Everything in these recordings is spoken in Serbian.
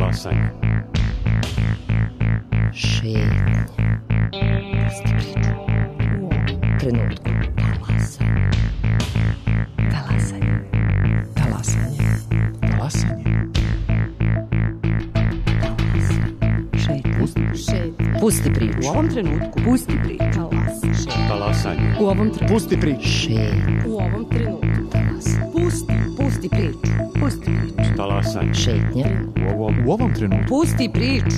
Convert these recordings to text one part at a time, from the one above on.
Talasanje. Šetnje. Pusti priču. U ovom trenutku. Talasanje. Talasanje. Talasanje. Pusti priču. U ovom trenutku. Pusti priču. Talasanje. U ovom trenutku. Pusti priču. Šetnje. U ovom trenutku. Pusti priču. Pusti priču. Talasanje. Šetnje. U ovom trenutku. Pusti priču.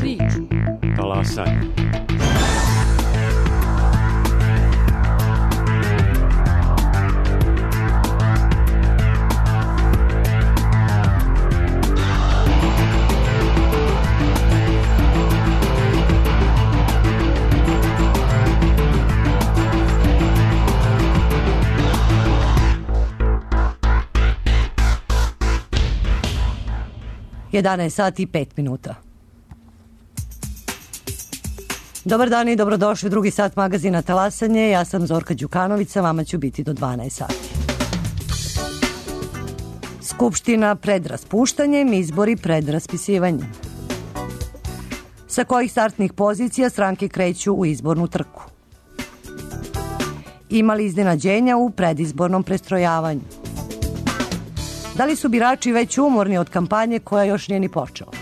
Talasanje. Jedanaest sati i 5 minuta. Dobar dan i dobrodošli u drugi sat magazina Talasanje. Ja sam Zorka Đukanović, sa vama ću biti do 12 sati. Skupština pred raspuštanjem, izbori pred raspisivanjem. Sa kojih startnih pozicija stranke kreću u izbornu trku? Ima li iznenađenja u predizbornom prestrojavanju? Da li su birači već umorni od kampanje koja još nije ni počela?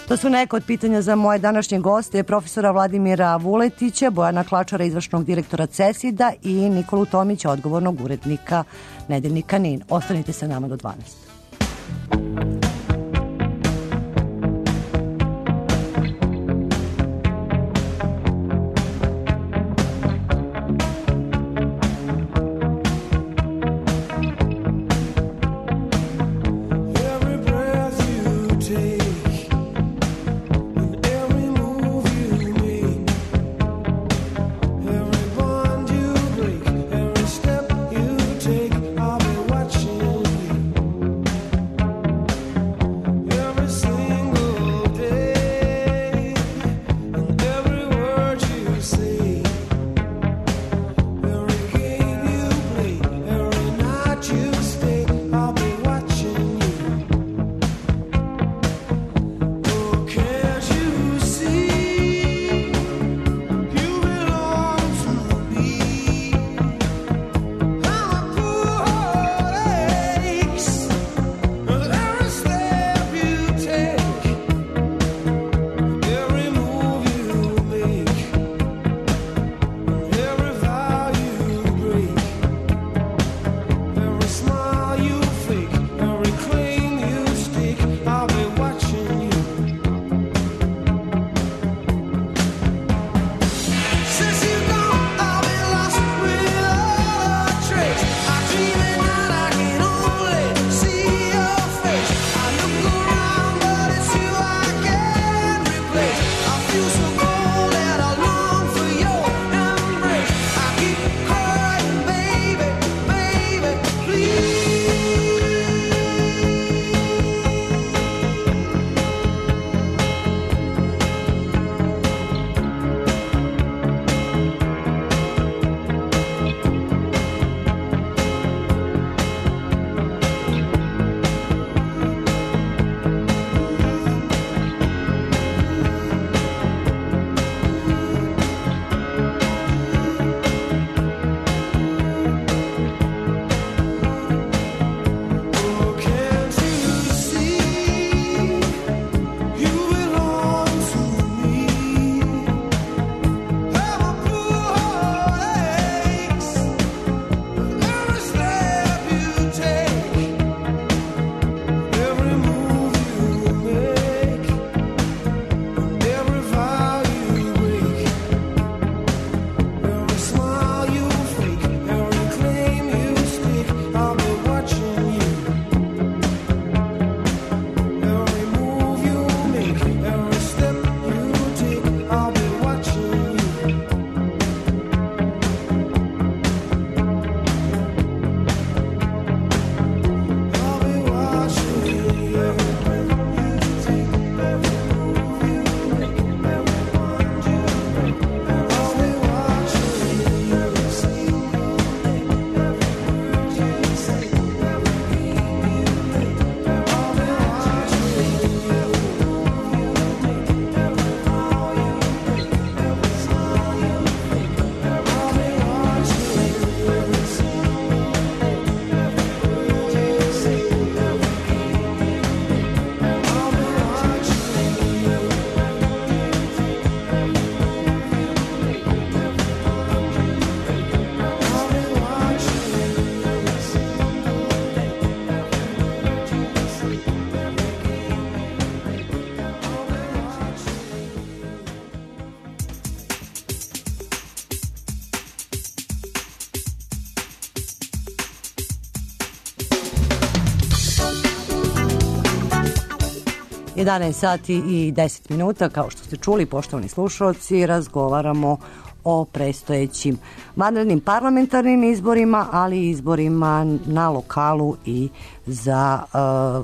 To su neka od pitanja za moje današnje goste, profesora Vladimira Vuletića, Bojana Klačara, izvršnog direktora CESID-a i Nikolu Tomića, odgovornog urednika nedeljnika NIN. Ostanite sa nama do 12. 11 sati i 10 minuta, kao što ste čuli, poštovani slušalci, razgovaramo o predstojećim vanrednim parlamentarnim izborima, ali i izborima na lokalu i za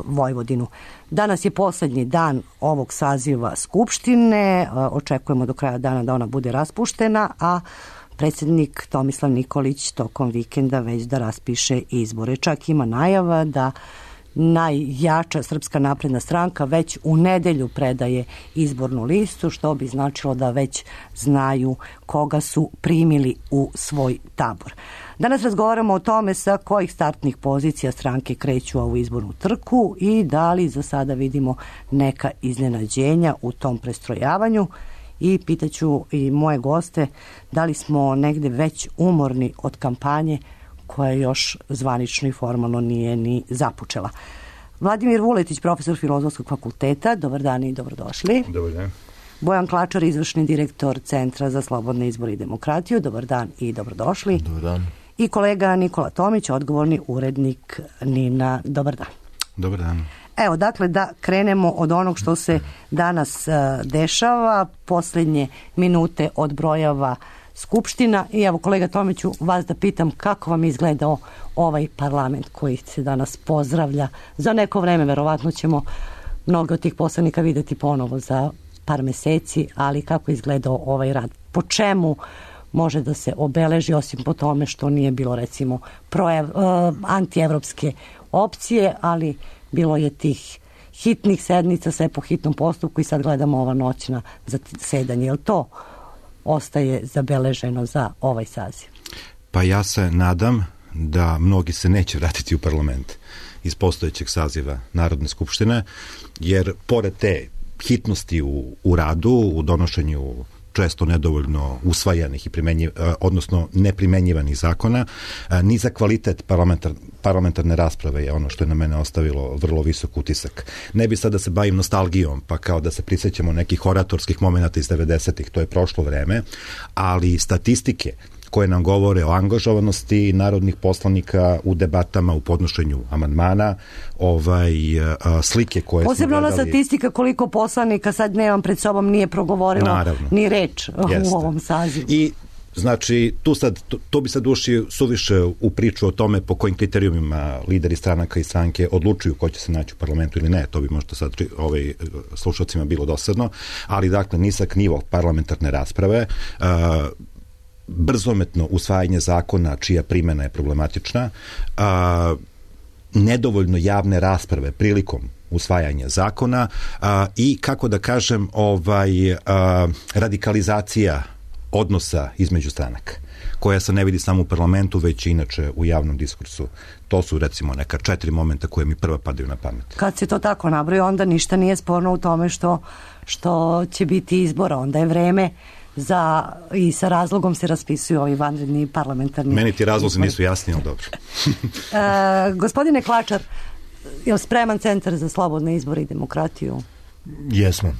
Vojvodinu. Danas je poslednji dan ovog saziva Skupštine, očekujemo do kraja dana da ona bude raspuštena, a predsjednik Tomislav Nikolić tokom vikenda već da raspiše izbore. Čak ima najava da najjača Srpska napredna stranka već u nedelju predaje izbornu listu, što bi značilo da već znaju koga su primili u svoj tabor. Danas razgovaramo o tome sa kojih startnih pozicija stranke kreću ovu izbornu trku i da li za sada vidimo neka iznenađenja u tom prestrojavanju. I pitaću i moje goste da li smo negde već umorni od kampanje koja još zvanično i formalno nije ni započela. Vladimir Vuletić, profesor Filozofskog fakulteta, dobar dan i dobrodošli. Dobar dan. Bojan Klačar, izvršni direktor Centra za slobodne izbore i demokratiju, dobar dan i dobrodošli. Dobar dan. I kolega Nikola Tomić, odgovorni urednik NIN-a, dobar dan. Dobar dan. Evo, dakle, da krenemo od onog što se danas dešava, posljednje minute odbrojava Skupština i evo, kolega Tomiću, vas da pitam kako vam izgledao ovaj parlament koji se danas pozdravlja. Za neko vreme verovatno ćemo mnogo od tih poslanika videti ponovo za par meseci, ali kako izgledao ovaj rad? Po čemu može da se obeleži, osim po tome što nije bilo recimo antievropske opcije, ali bilo je tih hitnih sednica, sve po hitnom postupku i sad gledamo ova noćna zasedanje. Je li to ostaje zabeleženo za ovaj saziv? Pa ja se nadam da mnogi se neće vratiti u parlament iz postojećeg saziva Narodne skupštine, jer pored te hitnosti u radu, u donošenju često nedovoljno usvajanih i odnosno neprimenjivanih zakona, ni za kvalitet parlamentarne rasprave je ono što je na mene ostavilo vrlo visok utisak. Ne bi sad da se bavim nostalgijom, pa kao da se prisjećamo nekih oratorskih momenata iz 90-ih, to je prošlo vreme, ali statistike koje nam govore o angažovanosti narodnih poslanika u debatama, u podnošenju amandmana, slike koje posebno smo gledali. Ona statistika koliko poslanika, sad nemam pred sobom, nije progovorilo naravno ni reč u ovom sazivu. I znači, tu bi sad ušli suviše u priču o tome po kojim kriterijumima lideri stranaka i stranke odlučuju ko će se naći u parlamentu ili ne. To bi možda sad slušalcima bilo dosadno, ali dakle nisak nivo parlamentarne rasprave, brzometno usvajanje zakona čija primjena je problematična, nedovoljno javne rasprave prilikom usvajanja zakona i, kako da kažem, radikalizacija odnosa između stranaka, koja se ne vidi samo u parlamentu, već i inače u javnom diskursu. To su, recimo, neka 4 momenta koje mi prva padaju na pamet. Kad se to tako nabroji, onda ništa nije sporno u tome što će biti izbora. Onda je vreme i sa razlogom se raspisuju ovi vanredni parlamentarni. Meni ti razlozi nisu jasni, ali dobro. Gospodine Klačar, je li spreman Centar za slobodne izbore i demokratiju? Jesmo.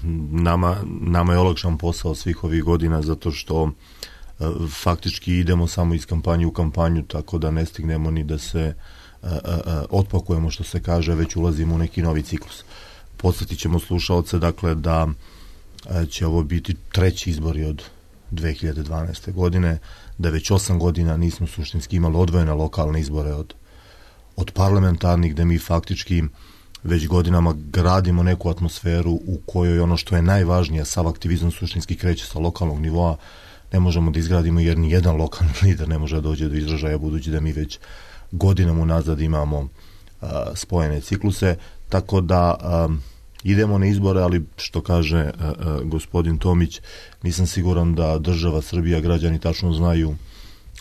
Nama je olakšan posao svih ovih godina, zato što faktički idemo samo iz kampanje u kampanju, tako da ne stignemo ni da se otpakujemo, što se kaže, već ulazimo u neki novi ciklus. Podsjetit ćemo slušaoce, dakle, da će ovo biti 3. izbori od 2012. godine, da već 8 godina nismo suštinski imali odvojene lokalne izbore od parlamentarnih, gde mi faktički već godinama gradimo neku atmosferu u kojoj ono što je najvažnije, sav aktivizam suštinski kreće sa lokalnog nivoa, ne možemo da izgradimo jer ni jedan lokalni lider ne može da dođe do izražaja, budući da mi već godinama unazad imamo spojene cikluse, tako da idemo na izbore, ali što kaže gospodin Tomić, nisam siguran da država Srbija, građani tačno znaju,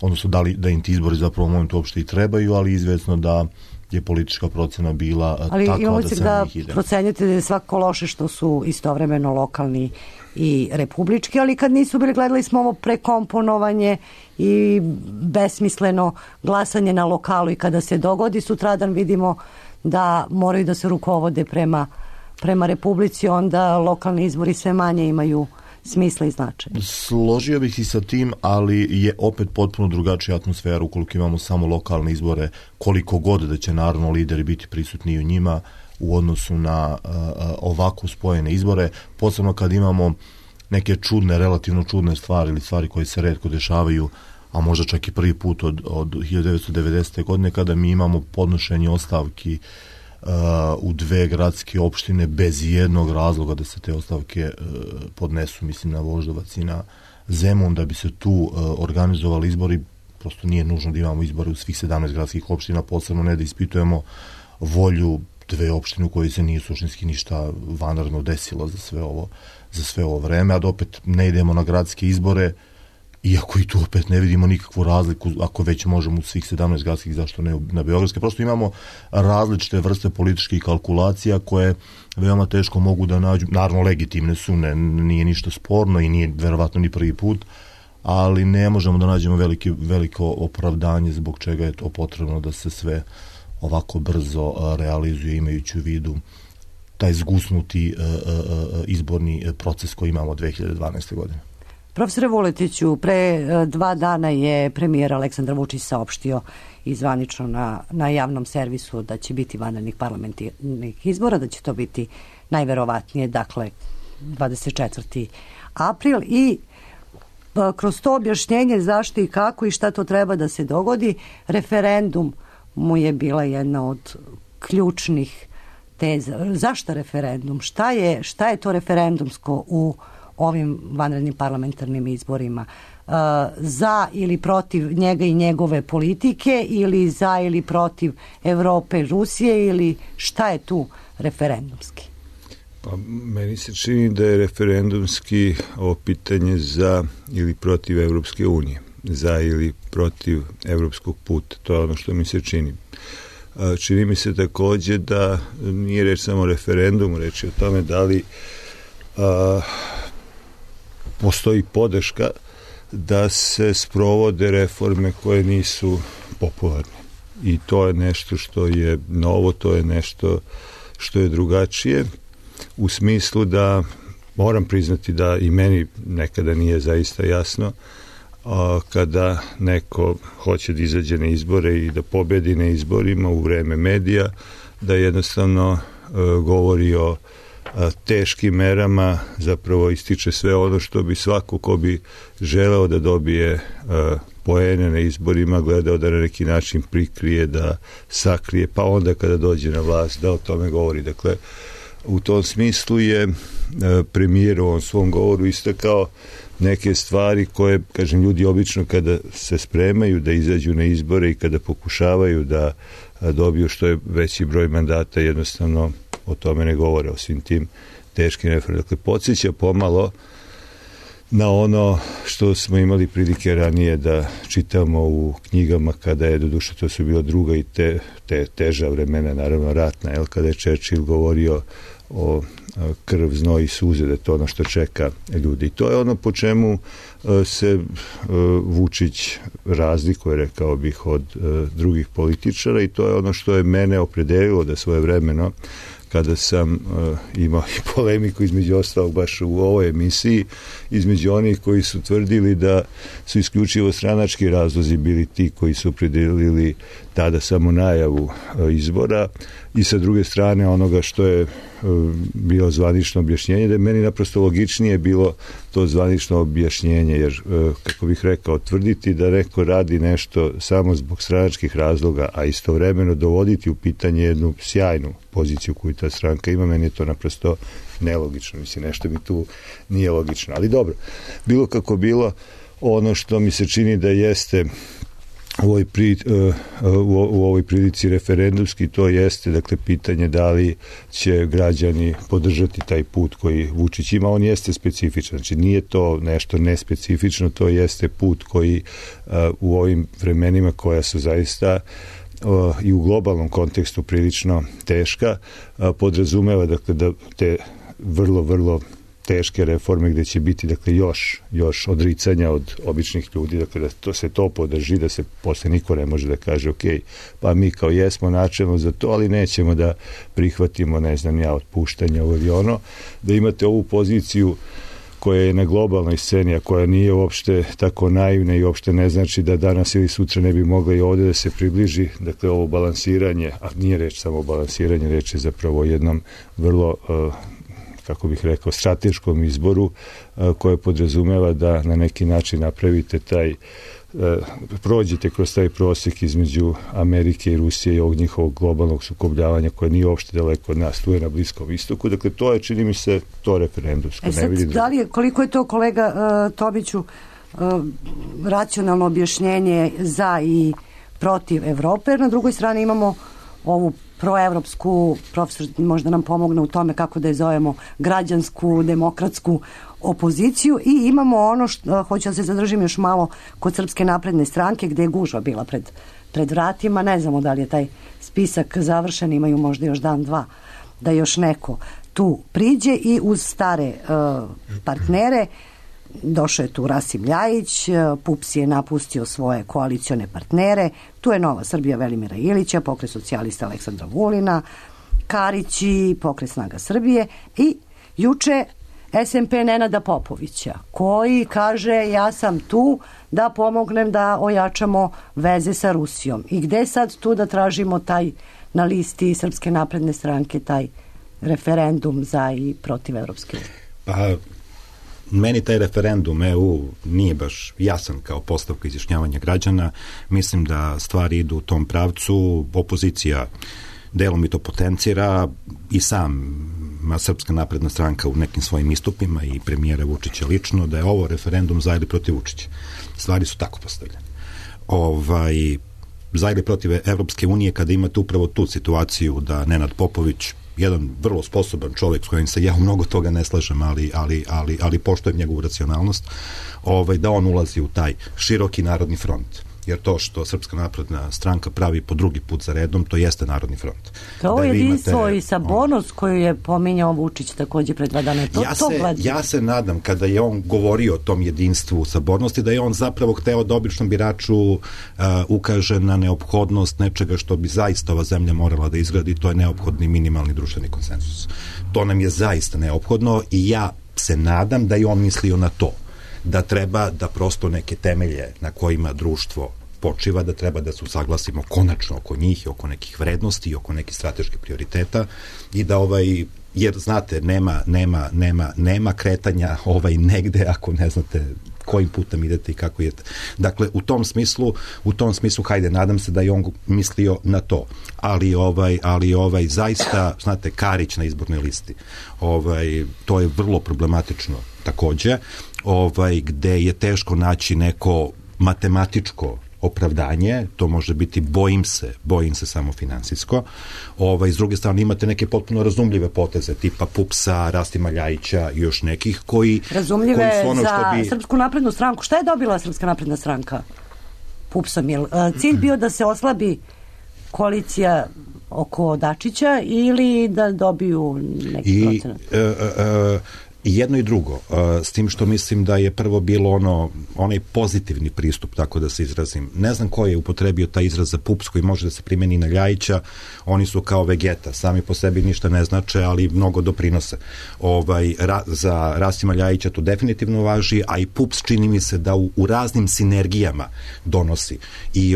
odnosno da im ti izbori zapravo u momentu uopšte i trebaju, ali izvesno da je politička procena bila takva da se na njih ide. Da procenjate da je svako loše što su istovremeno lokalni i republički, ali kad nisu bili, gledali smo ovo prekomponovanje i besmisleno glasanje na lokalu i kada se dogodi sutradan vidimo da moraju da se rukovode prema republici, onda lokalni izbori sve manje imaju smisla i značaja. Složio bih i sa tim, ali je opet potpuno drugačija atmosfera ukoliko imamo samo lokalne izbore, koliko god da će naravno lideri biti prisutni u njima. u odnosu na ovako spojene izbore, posebno kad imamo neke relativno čudne stvari ili stvari koje se retko dešavaju, a možda čak i prvi put od 1990. godine, kada mi imamo podnošenje ostavki u 2 gradske opštine bez jednog razloga da se te ostavke podnesu, mislim na Voždovac i na Zemun, da bi se tu organizovali izbori. Prosto nije nužno da imamo izbore u svih 17 gradskih opština, posebno ne da ispitujemo volju 2 opštine u kojoj se nije suštinski ništa vanredno desilo za sve ovo vreme, a da opet ne idemo na gradske izbore, iako i tu opet ne vidimo nikakvu razliku, ako već možemo u svih 17 gradskih, zašto ne na beogradske. Prosto imamo različite vrste političkih kalkulacija koje veoma teško mogu da nađu, naravno legitimne su, nije ništa sporno i nije verovatno ni prvi put, ali ne možemo da nađemo veliko opravdanje zbog čega je to potrebno da se sve ovako brzo realizuje, imajući u vidu taj zgusnuti izborni proces koji imamo 2012. godine. Profesore Vuletiću, pre 2 dana je premijer Aleksandar Vučić saopštio i zvanično na javnom servisu da će biti vanrednih parlamentarnih izbora, da će to biti najverovatnije, dakle, 24. april i kroz to objašnjenje zašto i kako i šta to treba da se dogodi, referendum mu je bila jedna od ključnih teza. Zašto referendum? Šta je to referendumsko u ovim vanrednim parlamentarnim izborima? Za ili protiv njega i njegove politike, ili za ili protiv Evrope i Rusije, ili šta je tu referendumski? Pa, meni se čini da je referendumski ovo pitanje za ili protiv Evropske unije, za ili protiv evropskog puta. To je ono što mi se čini. Čini mi se takođe da nije reč samo o referendumu, reč je o tome da li postoji podrška da se sprovode reforme koje nisu popularne. I to je nešto što je novo, to je nešto što je drugačije, u smislu da moram priznati da i meni nekada nije zaista jasno kada neko hoće da izađe na izbore i da pobedi na izborima u vreme medija, da jednostavno govori o teškim merama, zapravo ističe sve ono što bi svako ko bi želeo da dobije poene na izborima gledao da na neki način prikrije, da sakrije, pa onda kada dođe na vlast da o tome govori. Dakle, u tom smislu je premijer u ovom svom govoru istakao neke stvari koje, kažem, ljudi obično kada se spremaju da izađu na izbore i kada pokušavaju da dobiju što je veći broj mandata, jednostavno o tome ne govore, o svim tim teškim reformama. Dakle, podsjeća pomalo na ono što smo imali prilike ranije da čitamo u knjigama kada je, doduše to su bila druga i teža vremena, naravno ratna, kada je Churchill govorio o krv, znoj i suze, da je to ono što čeka ljudi. I to je ono po čemu se Vučić razlikuje, rekao bih, od drugih političara, i to je ono što je mene opredelilo da svojevremeno, kada sam imao i polemiku između ostalog baš u ovoj emisiji, između onih koji su tvrdili da su isključivo stranački razlozi bili ti koji su opredelili tada samo najavu izbora, i sa druge strane onoga što je bilo zvanično objašnjenje, da je meni naprosto logičnije bilo to zvanično objašnjenje, jer, kako bih rekao, tvrditi da neko radi nešto samo zbog stranačkih razloga, a istovremeno dovoditi u pitanje jednu sjajnu poziciju koju ta stranka ima, meni je to naprosto nelogično. Mislim, nešto mi tu nije logično. Ali dobro, bilo kako bilo, ono što mi se čini da jeste u ovoj prilici referendumski, to jeste, dakle, pitanje da li će građani podržati taj put koji Vučić ima. On jeste specifičan, znači nije to nešto nespecifično, to jeste put koji u ovim vremenima koja su zaista i u globalnom kontekstu prilično teška, podrazumeva, dakle, da te vrlo teške reforme gde će biti, dakle, još odricanja od običnih ljudi, dakle, da se to podrži, da se posle niko ne može da kaže ok, pa mi kao jesmo načelno za to, ali nećemo da prihvatimo, ne znam ja, otpuštanje ovo ili ono, da imate ovu poziciju koja je na globalnoj sceni, a koja nije uopšte tako naivna i uopšte ne znači da danas ili sutra ne bi mogla i ovde da se približi. Dakle, ovo balansiranje, a nije reč samo o balansiranju, reč je zapravo o jednom vrlo, kako bih rekao, strateškom izboru koje podrazumeva da na neki način napravite taj, prođete kroz taj prosjek između Amerike i Rusije i ovog njihovog globalnog sukobljavanja koje nije uopšte daleko od nas, tu je na Bliskom istoku. Dakle, to je, čini mi se, to referendumsko. Sad, da li je, koliko je to, kolega Tomiću, racionalno objašnjenje za i protiv Evrope, jer na drugoj strani imamo ovu proevropsku, profesor možda nam pomogne u tome kako da je zovemo, građansku, demokratsku opoziciju, i imamo ono što, hoću da se zadržim još malo kod Srpske napredne stranke, gde je gužva bila pred vratima. Ne znamo da li je taj spisak završen, imaju možda još dan, dva da još neko tu priđe, i uz stare partnere došao je tu Rasim Ljajić, PUPS je napustio svoje koalicione partnere, tu je Nova Srbija Velimira Ilića, Pokret socijalista Aleksandra Vulina, Karić i Pokret snaga Srbije, i juče SMP Nenada Popovića, koji kaže ja sam tu da pomognem da ojačamo veze sa Rusijom. I gde sad tu da tražimo taj, na listi Srpske napredne stranke, taj referendum za i protiv Evropske unije? Pa, meni taj referendum EU nije baš jasan kao postavka izjašnjavanja građana. Mislim da stvari idu u tom pravcu. Opozicija delom i to potencira, i Srpska napredna stranka u nekim svojim istupima i premijera Vučića lično, da je ovo referendum za ili protiv Vučića. Stvari su tako postavljene. Za ili protiv Evropske unije, kada imate upravo tu situaciju da Nenad Popović, jedan vrlo sposoban čovjek s kojim se ja u mnogo toga ne slažem, ali poštujem njegovu racionalnost, da on ulazi u taj široki narodni front. Jer to što Srpska napredna stranka pravi po drugi put za redom, to jeste narodni front. To je jedinstvo i sabornost koju je pominjao Vučić takođe pred 2 dana. Ja se nadam, kada je on govorio o tom jedinstvu sabornosti, da je on zapravo hteo da običnom biraču ukaže na neophodnost nečega što bi zaista ova zemlja morala da izgradi, to je neophodni minimalni društveni konsenzus. To nam je zaista neophodno, i ja se nadam da je on mislio na to, da treba da prosto neke temelje na kojima društvo počiva, da treba da se usaglasimo konačno oko njih i oko nekih vrednosti i oko nekih strateških prioriteta, i da jer znate, nema kretanja negde ako ne znate kojim putem idete i kako idete. Dakle, u tom smislu, hajde, nadam se da je on mislio na to. Ali zaista, znate, Karić na izbornoj listi, to je vrlo problematično takođe, gde je teško naći neko matematičko opravdanje, to može biti bojim se samo finansijsko. S druge strane imate neke potpuno razumljive poteze tipa PUPS-a, Rastima Ljajića i još nekih koji... Razumljive za Srpsku naprednu stranku. Šta je dobila Srpska napredna stranka PUPS-om? Je cilj bio da se oslabi koalicija oko Dačića ili da dobiju neki procenat? I jedno i drugo, s tim što mislim da je prvo bilo onaj pozitivni pristup, tako da se izrazim. Ne znam ko je upotrebio taj izraz za PUPS koji može da se primeni na Ljajića, oni su kao Vegeta, sami po sebi ništa ne znače, ali mnogo doprinose. Za Rasima Ljajića to definitivno važi, a i PUPS čini mi se da u raznim sinergijama donosi. I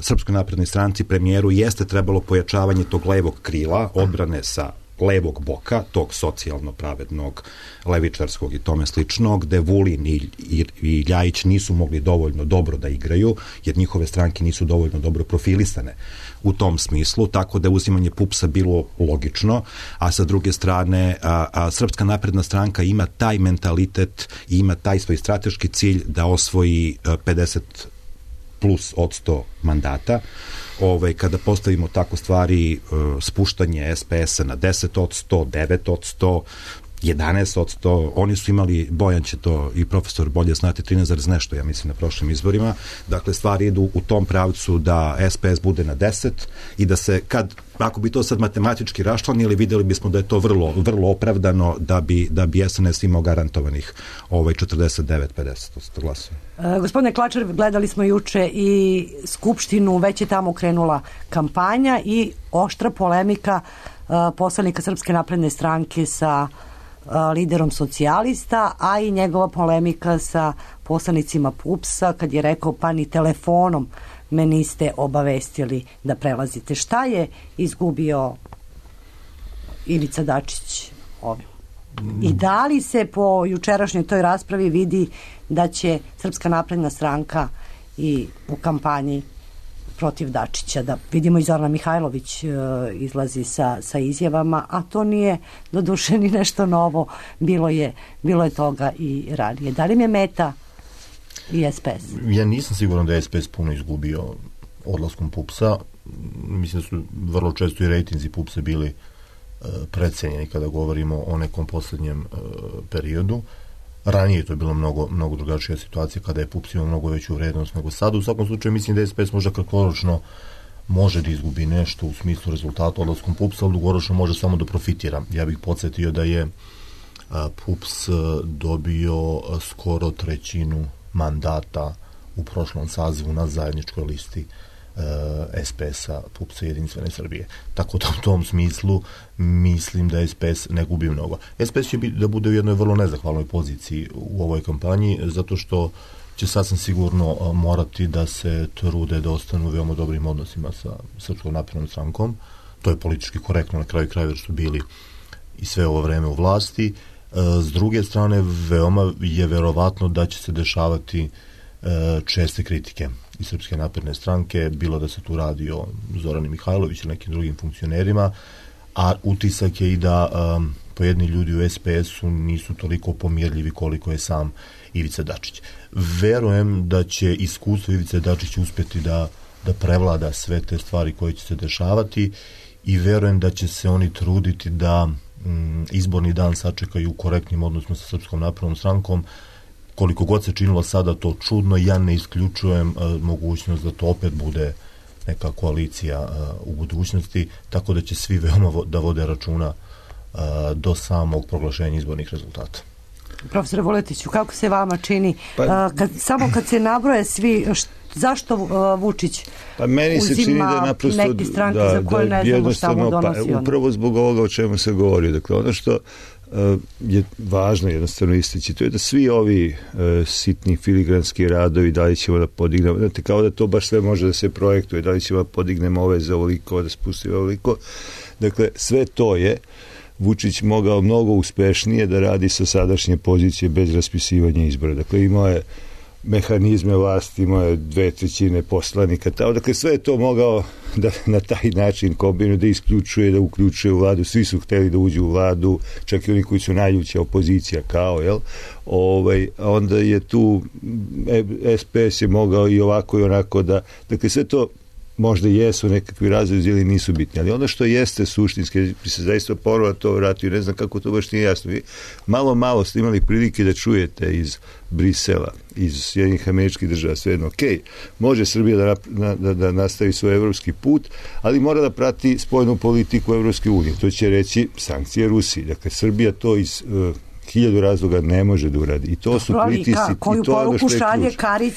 Srpskoj naprednoj stranci, premijeru, jeste trebalo pojačavanje tog levog krila, odbrane sa levog boka, tog socijalno pravednog, levičarskog i tome sličnog, gde Vulin i Ljajić nisu mogli dovoljno dobro da igraju, jer njihove stranke nisu dovoljno dobro profilisane u tom smislu, tako da je uzimanje PUPS-a bilo logično, a sa druge strane Srpska napredna stranka ima taj mentalitet i ima taj svoj strateški cilj da osvoji 50+% mandata. Kada postavimo tako stvari, spuštanje SPS-a na 10%, 9%, 11%, oni su imali, Bojan će to i profesor bolje znati, 13 nešto, ja mislim, na prošlim izborima. Dakle, stvari idu u tom pravcu da SPS bude na 10 i da se, ako bi to sad matematički raščlanili, videli bismo da je to vrlo opravdano da bi SNS imao garantovanih 49-50% glasova. Gospodine Klačar, gledali smo juče i Skupštinu, već je tamo krenula kampanja i oštra polemika poslanika Srpske napredne stranke sa liderom socijalista, a i njegova polemika sa poslanicima PUPS-a kad je rekao pa ni telefonom me niste obavestili da prelazite. Šta je izgubio Ivica Dačić ovim? I da li se po jučerašnjoj toj raspravi vidi da će Srpska napredna stranka i u kampanji protiv Dačića, da vidimo i Zorana Mihajlović izlazi sa izjavama, a to nije doduše ni nešto novo, bilo je toga i ranije. Da li mi je meta i SPS? Ja nisam siguran da je SPS puno izgubio odlaskom PUPS-a. Mislim da su vrlo često i rejtinzi PUPS-a bili precenjeni kada govorimo o nekom poslednjem periodu. Ranije je to bilo mnogo drugačija situacija kada je PUPS imao mnogo veću vrednost nego sada. U svakom slučaju mislim da SPS možda kratkoročno može da izgubi nešto u smislu rezultata odlaskom PUPS-a, ali dugoročno može samo da profitira. Ja bih podsjetio da je PUPS dobio skoro trećinu mandata u prošlom sazivu na zajedničkoj listi SPS-a, PUPS-a Jedinstvene Srbije. Tako da u tom smislu mislim da SPS ne gubi mnogo. SPS će da bude u jednoj vrlo nezahvalnoj poziciji u ovoj kampanji, zato što će sasvim sigurno morati da se trude da ostanu u veoma dobrim odnosima sa Srpskom naprednom strankom. To je politički korektno na kraju krajeva, jer su bili i sve ovo vreme u vlasti. S druge strane, veoma je verovatno da će se dešavati česte kritike iz Srpske napredne stranke, bilo da se tu radi o Zorani Mihajlović ili nekim drugim funkcionerima, a utisak je i da pojedini ljudi u SPS-u nisu toliko pomirljivi koliko je sam Ivica Dačić. Verujem da će iskustvo Ivice Dačića uspjeti da prevlada sve te stvari koje će se dešavati i verujem da će se oni truditi da izborni dan sačekaju u korektnim odnosima sa Srpskom naprednom strankom. Koliko god se činilo sada to čudno, ja ne isključujem mogućnost da to opet bude neka koalicija u budućnosti, tako da će svi veoma da vode računa do samog proglašenja izbornih rezultata. Profesore Vuletiću, kako se vama čini, samo kad se nabroje svi, zašto Vučić uzima neke stranke za koje ne znamo šta mu donosi? Upravo zbog ovoga o čemu se govori. Dakle, ono što je važno jednostavno istići, to je da svi ovi sitni filigranski radovi, da li ćemo da podignemo, znate, kao da to baš sve može da se projektuje, da li ćemo da podignemo ove za ovoliko, da spustimo ovoliko. Dakle, sve to je Vučić mogao mnogo uspešnije da radi sa sadašnje pozicije bez raspisivanja izbora. Dakle, imao je mehanizme vlasti, imao je 2/3 poslanika, dakle sve je to mogao da na taj način kombinuje, da isključuje, da uključuje u vladu, svi su hteli da uđu u vladu, čak i oni koji su najljuća opozicija, kao, jel? Onda je tu SPS je mogao i ovako i onako da, dakle sve to možda jesu nekakvi razlozi ili nisu bitni, ali ono što jeste suštinski, bi se zaista ponovo to vratio, ne znam kako to baš nije jasno. Vi malo ste imali prilike da čujete iz Brisela, iz Sjedinjenih Američkih Država, svejedno, može Srbija da nastavi svoj evropski put, ali mora da prati spoljnu politiku Evropske unije. To će reći sankcije Rusiji. Dakle, Srbija to iz 1000 razloga ne može da uradi. I to su pritisci. Koju poruku šalje Karić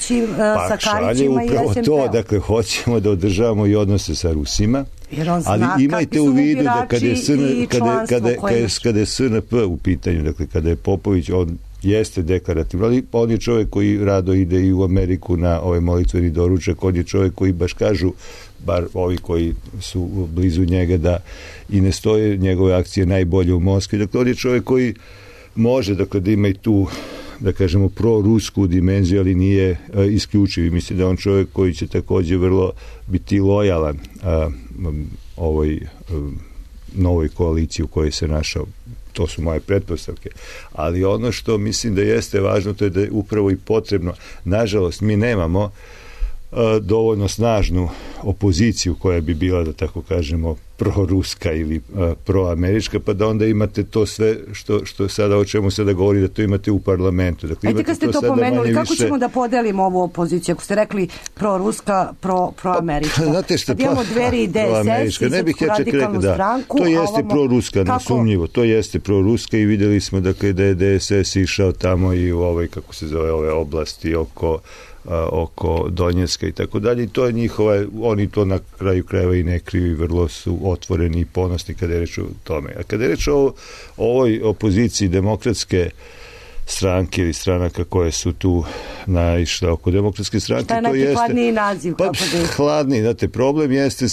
sa Karićima i SMP-om? To, dakle, hoćemo da održavamo i odnose sa Rusima, ali imajte u vidu da kada je SNP u pitanju, dakle, kada je Popović, on jeste deklarativno, ali on je čovjek koji rado ide i u Ameriku na ovaj molitveni doručak, on je čovjek koji baš kažu, bar ovi koji su blizu njega, da i ne stoje njegove akcije najbolje u Moskvi. Dakle, on je čovjek koji može, dakle, da ima i tu, da kažemo, prorusku dimenziju, ali nije isključiv. I mislim da on čovjek koji će također vrlo biti lojalan ovoj novoj koaliciji u kojoj se našao. To su moje pretpostavke. Ali ono što mislim da jeste važno, to je da je upravo i potrebno. Nažalost, mi nemamo dovoljno snažnu opoziciju koja bi bila, da tako kažemo, proruska ili proamerička, pa da onda imate to sve što sada, o čemu sada govori, da to imate u parlamentu. Dakle, kad ste to pomenuli, kako ćemo da podelimo ovu opoziciju? Ako ste rekli proruska, proamerička. Kad imamo Dveri i DSS i Srpsku radikalnu stranku, to jeste proruska, nesumnjivo. To jeste proruska i videli smo, dakle, da je DSS išao tamo i u ovoj, kako se zove, ove oblasti oko oko Donjeska i tako dalje, i to je njihova, oni to na kraju krajeva i ne kriju, vrlo su otvoreni i ponosni kada je reč o tome. A kada je reč o ovoj opoziciji demokratske stranke ili stranaka koje su tu naišle oko demokratske stranke, šta je neki hladniji naziv? Pa, hladniji, znate, problem jeste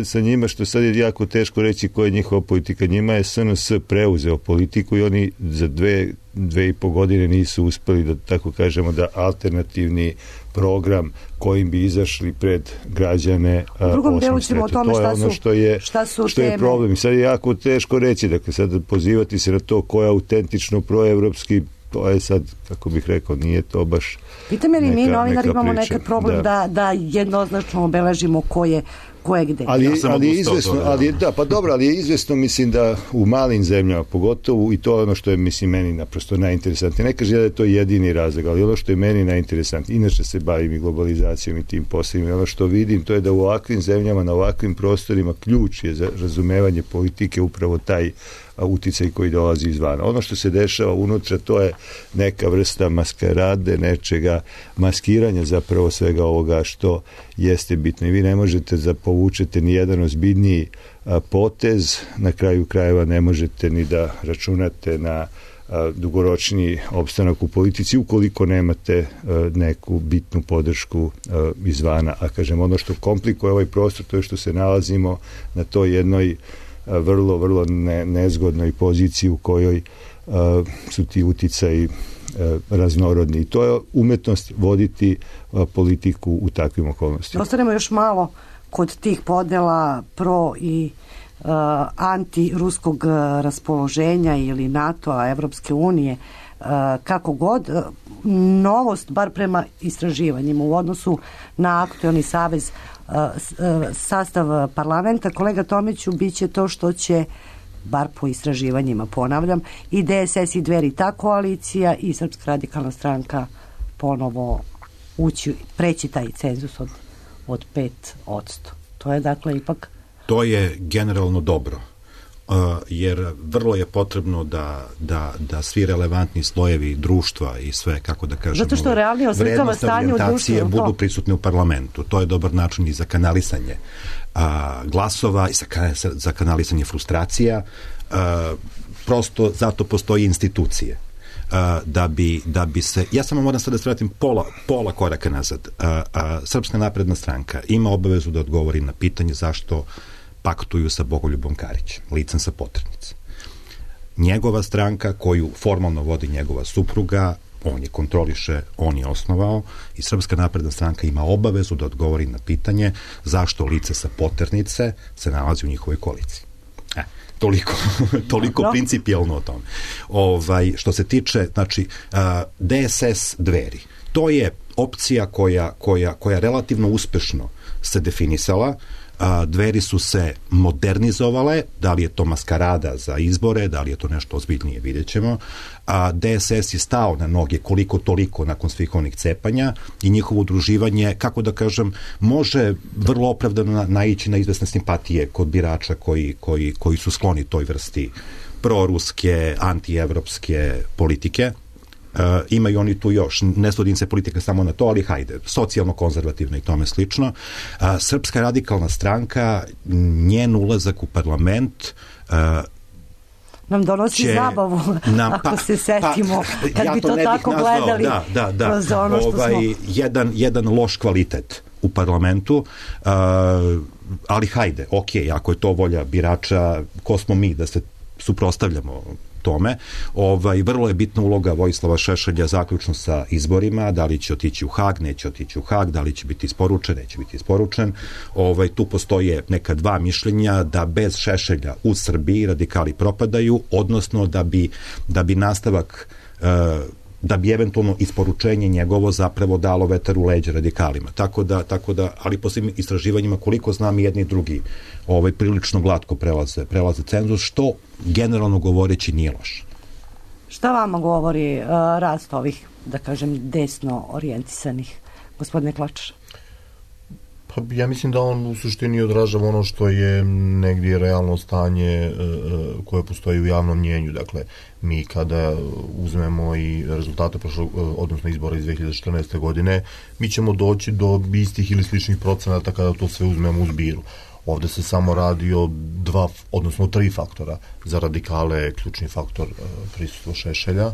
sa njima, što sad je jako teško reći koja je njihova politika. Njima je SNS preuzeo politiku i oni za dve i po godine nisu uspeli da, tako kažemo, da alternativni program kojim bi izašli pred građane u drugom delu ćemo o tome šta su što je problem. I sad je jako teško reći, dakle, sad pozivati se na to ko je autentično proevropski, to je sad, kako bih rekao, nije to baš pitam je li mi novinari imamo nekad problem da jednoznačno obeležimo ko je gde. Ali je izvesno, ali je izvesno, mislim, da u malim zemljama pogotovo, i to je ono što je, mislim, meni naprosto najinteresantnije. Ne kaže da je to jedini razlog, ali ono što je meni najinteresantnije, inače se bavim i globalizacijom i tim poslovima, i ono što vidim, to je da u ovakvim zemljama, na ovakvim prostorima, ključ je za razumevanje politike upravo taj uticaj koji dolazi izvana. Ono što se dešava unutra, to je neka vrsta maskarade, nečega, maskiranja zapravo svega ovoga što jeste bitno. I vi ne možete da povučete ni jedan ozbiljniji potez, na kraju krajeva ne možete ni da računate na dugoročni opstanak u politici ukoliko nemate neku bitnu podršku izvana. A kažem, ono što komplikuje ovaj prostor, to je što se nalazimo na toj jednoj vrlo, vrlo nezgodnoj poziciji u kojoj su ti uticaji raznorodni. I to je umetnost voditi politiku u takvim okolnostima. Ostanemo još malo kod tih podela pro i anti-ruskog raspoloženja ili NATO-a, Evropske unije, kako god. Novost, bar prema istraživanjima u odnosu na aktuelni savez, sastav parlamenta, kolega Tomiću, bit će to što će, bar po istraživanjima, ponavljam, i DSS i Dveri, ta koalicija, i Srpska radikalna stranka ponovo preći taj cenzus od 5%. To je, dakle, ipak... To je generalno dobro, jer vrlo je potrebno da svi relevantni slojevi društva i sve, kako da kažemo, zato što realnije oslikava stanje u društvu, budu prisutni u parlamentu. To je dobar način i za kanalisanje glasova i za kanalisanje frustracija. Prosto zato postoji institucije. Da bi se, ja samo moram sad da se vratim pola koraka nazad. Srpska napredna stranka ima obavezu da odgovori na pitanje zašto paktuju sa Bogoljubom Karićem, licem sa poternice. Njegova stranka, koju formalno vodi njegova supruga, on je kontroliše, on je osnovao, i Srpska napredna stranka ima obavezu da odgovori na pitanje zašto lice sa poternice se nalazi u njihovoj koaliciji. Toliko principijalno o tome. Što se tiče, znači, DSS Dveri, to je opcija koja relativno uspešno se definisala. Dveri su se modernizovale, da li je to maskarada za izbore, da li je to nešto ozbiljnije, vidjet ćemo. DSS je stao na noge koliko toliko nakon svih onih cepanja i njihovo udruživanje, kako da kažem, može vrlo opravdano naići na izvesne simpatije kod birača koji su skloni toj vrsti proruske, antievropske politike. Imaju oni tu još, ne sudim se politika samo na to, ali hajde, socijalno-konzervativno i tome slično. Srpska radikalna stranka, njen ulazak u parlament nam donosi zabavu, ako se setimo, kad bi to tako gledali. Kroz ono što smo... Jedan loš kvalitet u parlamentu, ali hajde, ako je to volja birača, ko smo mi da se suprotstavljamo tome. Vrlo je bitna uloga Vojislava Šešelja zaključno sa izborima, da li će otići u Hag, neće otići u Hag, da li će biti isporučen, neće biti isporučen. Tu postoje neka dva mišljenja da bez Šešelja u Srbiji radikali propadaju, odnosno da bi nastavak da bi eventualno isporučenje njegovo zapravo dalo vetar u leđa radikalima. Tako da, ali po svim istraživanjima, koliko znam, i jedni i drugi prilično glatko prelaze cenzus, što generalno govoreći nije loše. Šta vama govori rast ovih, da kažem, desno orijentisanih, gospodine Klačar? Pa ja mislim da on u suštini odražava ono što je negdje realno stanje koje postoji u javnom mnjenju. Dakle, mi kada uzmemo i rezultate odnosno izbora iz 2014. godine, mi ćemo doći do istih ili sličnih procenata kada to sve uzmemo u zbiru. Ovde se samo radi o 2, odnosno 3 faktora. Za radikale je ključni faktor prisustvo Šešelja.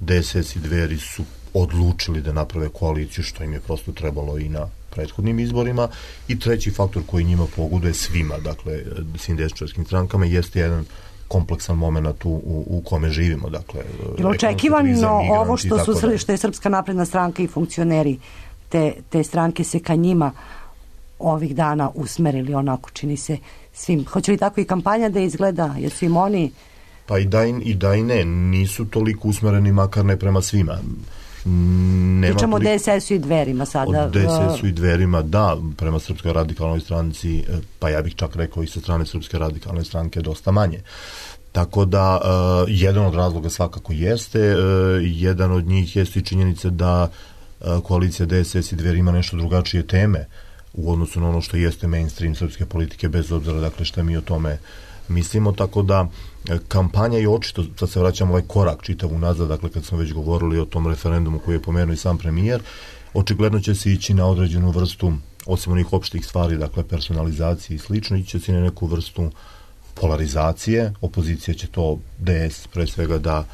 DSS i Dveri su odlučili da naprave koaliciju, što im je prosto trebalo i na prethodnim izborima, i treći faktor koji njima pogoduje svima, dakle svim desničarskim strankama, jeste jedan kompleksan moment u kome živimo. Dakle, je očekivano ovo što je Srpska napredna stranka i funkcioneri te stranke se ka njima ovih dana usmerili, onako čini se svim. Hoće li tako i kampanja da izgleda? Jesu im oni... Pa i da i ne, nisu toliko usmereni, makar ne prema svima. Pričamo o DSS-u i Dverima sada. O DSS-u i Dverima, da, prema Srpskoj radikalnoj stranci, pa ja bih čak rekao i sa strane Srpske radikalne stranke dosta manje. Tako da, jedan od razloga svakako jeste, jedan od njih jeste i činjenica da koalicija DSS i Dveri ima nešto drugačije teme u odnosu na ono što jeste mainstream srpske politike, bez obzira, dakle, šta mi o tome mislimo, tako da kampanja je očito, sad se vraćamo ovaj korak čitav unazad, dakle kad smo već govorili o tom referendumu koji je pomenuo i sam premijer, očigledno će se ići na određenu vrstu, osim onih opštih stvari, dakle personalizacije i slično, ići će se na neku vrstu polarizacije, opozicija će to, DS pre svega, da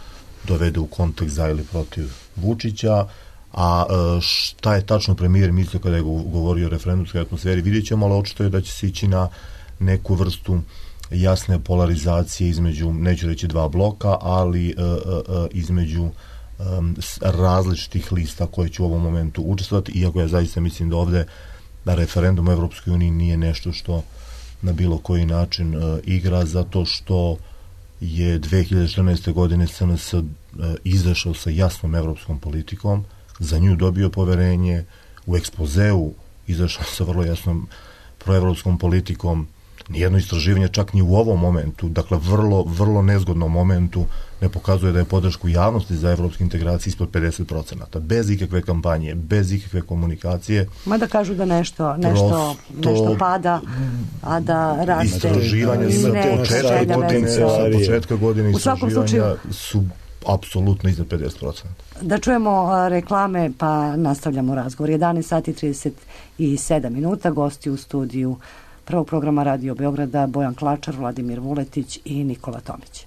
dovede u kontekst za ili protiv Vučića, a šta je tačno premijer mislio kada je govorio o referendumskoj atmosferi, vidjet ćemo, ali očito je da će se ići na neku vrstu jasne polarizacije između, neću reći 2 bloka, ali između različitih lista koje će u ovom momentu učestvovati, iako ja zaista mislim da ovde referendum u Evropskoj uniji nije nešto što na bilo koji način igra, zato što je 2014. godine SNS izašao sa jasnom evropskom politikom, za nju dobio poverenje, u ekspozeu izašao sa vrlo jasnom proevropskom politikom. Nijedno istraživanje, čak ni u ovom momentu, dakle vrlo nezgodnom momentu, ne pokazuje da je podršku javnosti za evropske integracije ispod 50%. Bez ikakve kampanje, bez ikakve komunikacije. Mada kažu da nešto pada, a da raste. Istraživanja sa početka godine istraživanja su apsolutno iznad 50%. Da čujemo reklame, pa nastavljamo razgovor. 11 sati 37 minuta, gosti u studiju prvog programa Radio Beograda Bojan Klačar, Vladimir Vuletić i Nikola Tomić.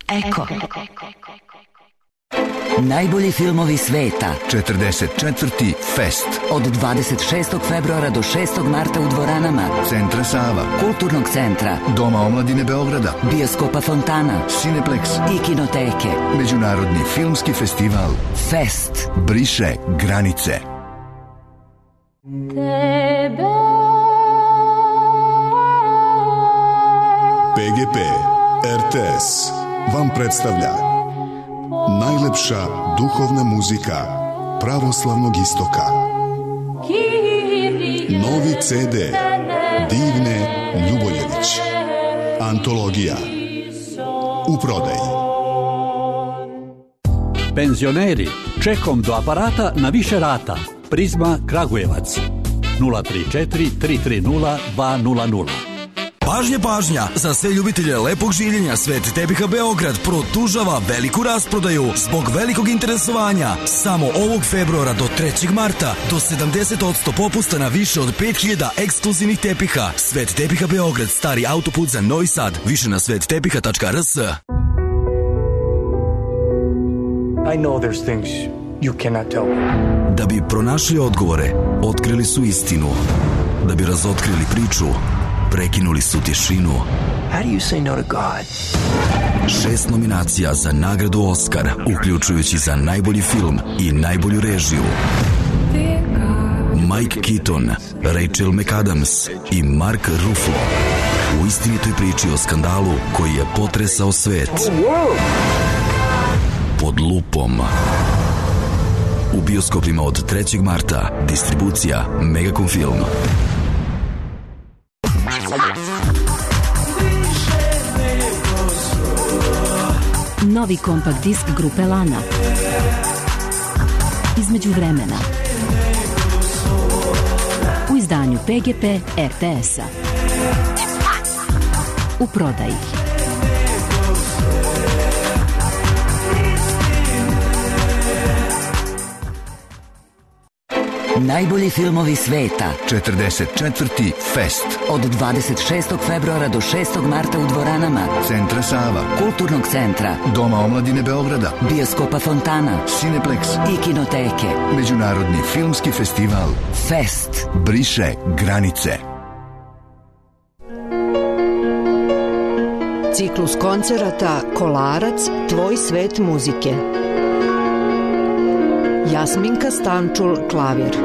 Eko. Najbolji filmovi sveta. 44. Fest. Od 26. februara do 6. marta u dvoranama Centra Sava, Kulturnog centra, Doma omladine Beograda, Bioskopa Fontana, Cineplex i Kinoteke. Međunarodni filmski festival Fest briše granice. PGP RTS vam predstavlja najlepša duhovna muzika pravoslavnog istoka. Novi CD Divne Ljuboljević. Antologija. U prodaji. Penzioneri, čekom do aparata na više rata. Prizma Kragujevac 034 330 200. Pažnja, pažnja! Za sve ljubitelje lepog življenja Svet tepiha Beograd produžava veliku rasprodaju zbog velikog interesovanja. Samo ovog februara do 3. marta do 70% popusta na više od 5000 ekskluzivnih tepiha. Svet tepiha Beograd, stari autoput za Novi Sad. Više na svettepiha.rs. I know there's things you cannot tell me. Da bi pronašli odgovore, otkrili su istinu. Da bi razotkrili priču, prekinuli su tišinu. How do you say no to God? 6 nominacija za nagradu Oskar, uključujući za najbolji film i najbolju režiju. Mike Keaton, Rachel McAdams i Mark Ruffalo u istinitoj priči o skandalu koji je potresao svet. Pod lupom. U bioskopima od 3. marta. Distribucija Megacom Film. Novi kompakt disk grupe Lana. Između vremena. U izdanju izdanju PGP RTS-a. U prodaji. Najbolji filmovi sveta. 44. Fest. Od 26. februara do 6. marta u dvoranama Centra Sava, Kulturnog centra, Doma omladine Beograda, Bioskopa Fontana, Cineplex i Kinoteke. Međunarodni filmski festival Fest. Briše granice. Ciklus koncerata Kolarac, tvoj svet muzike. Jasminka Stančul, klavir.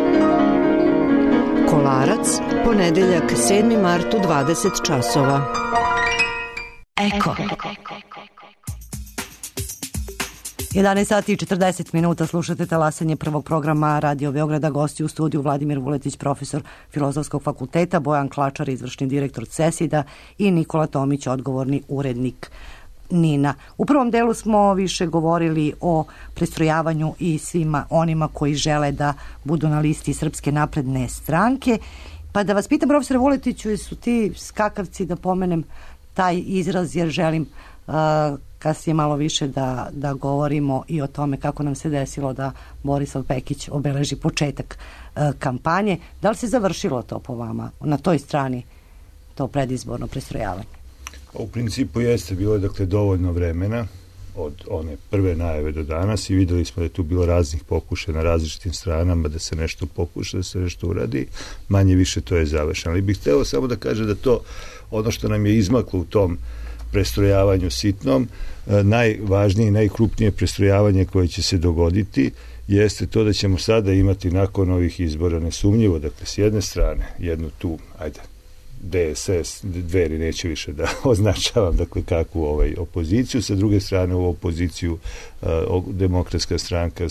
Kolarac, ponedeljak 7. mart u 20 časova. Eko. 11 sati i 40 minuta slušate talasanje prvog programa Radio Beograda. Gosti u studiju Vladimir Vuletić, profesor Filozofskog fakulteta, Bojan Klačar, izvršni direktor CESID-a i Nikola Tomić, odgovorni urednik Nina. U prvom delu smo više govorili o prestrojavanju i svima onima koji žele da budu na listi Srpske napredne stranke. Pa da vas pitam, profesore Vuletiću, jesu ti skakavci, da pomenem taj izraz, jer želim kasnije malo više da govorimo i o tome kako nam se desilo da Borislav Pekić obeleži početak kampanje. Da li se završilo to po vama na toj strani, to predizborno prestrojavanje? U principu jeste bilo dovoljno vremena od one prve najave do danas i videli smo da je tu bilo raznih pokušaja na različitim stranama da se nešto pokuša, da se nešto uradi. Manje više to je završeno. Ali bih hteo samo da kaže da to, ono što nam je izmaklo u tom prestrojavanju sitnom, najvažnije i najkrupnije prestrojavanje koje će se dogoditi jeste to da ćemo sada imati nakon ovih izbora nesumnjivo, s jedne strane, jednu tu, DSS, Dveri, neće više da označavam kakvu opoziciju, sa druge strane u opoziciju demokratska stranka,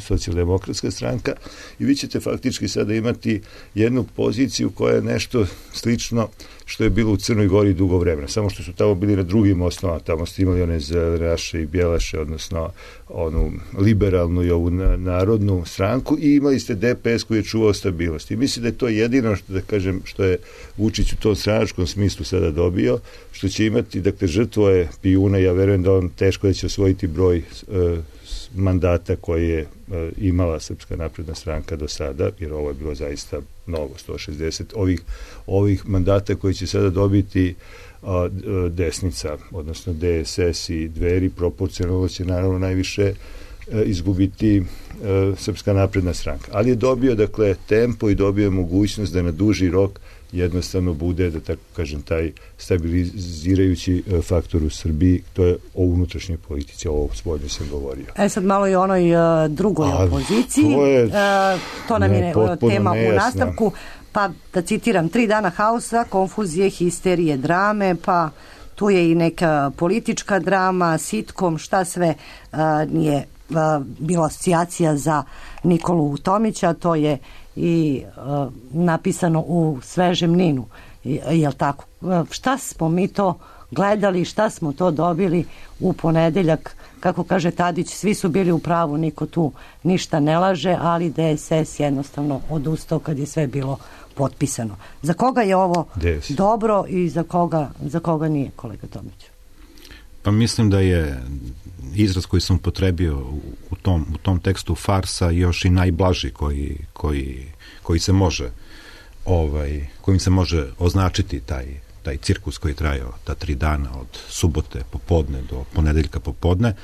socijaldemokratska stranka, i vi ćete faktički sada imati jednu poziciju koja je nešto slično što je bilo u Crnoj Gori dugo vremena, samo što su tamo bili na drugim osnovama, tamo ste imali one Zeleraše i Bjelaše, odnosno onu liberalnu i ovu narodnu stranku, i imali ste DPS koji je čuvao stabilnost. I mislim da je to jedino što je Vučić u tom stranačkom smislu sada dobio, što će imati, žrtvo je Pijuna, ja verujem da on teško da će osvojiti broj mandata koje je imala Srpska napredna stranka do sada, jer ovo je bilo zaista mnogo, 160 ovih mandata koji će sada dobiti desnica, odnosno DSS i Dveri, proporcionalno će naravno najviše izgubiti Srpska napredna stranka. Ali je dobio, tempo i dobio mogućnost da na duži rok jednostavno bude, da tako kažem, taj stabilizirajući faktor u Srbiji. To je o unutrašnjoj politici, ovo spoljno sam govorio. Sad malo i o onoj drugoj opoziciji. To nam je tema u nastavku. Pa da citiram, 3 dana haosa, konfuzije, histerije, drame, pa tu je i neka politička drama, sitkom, šta sve nije bila asocijacija za Nikolu Tomića, to je i napisano u svežem Ninu, jel tako? Šta smo mi to gledali, šta smo to dobili u ponedeljak? Kako kaže Tadić, svi su bili u pravu, niko tu ništa ne laže, ali DSS jednostavno odustao kad je sve bilo potpisano. Za koga je ovo dobro i za koga nije, kolega Tomić? Pa mislim da je izraz koji sam upotrebio u tom tekstu farsa još i najblaži koji se može kojim se može označiti taj cirkus koji je trajao ta 3 dana od subote popodne do ponedeljka popodne,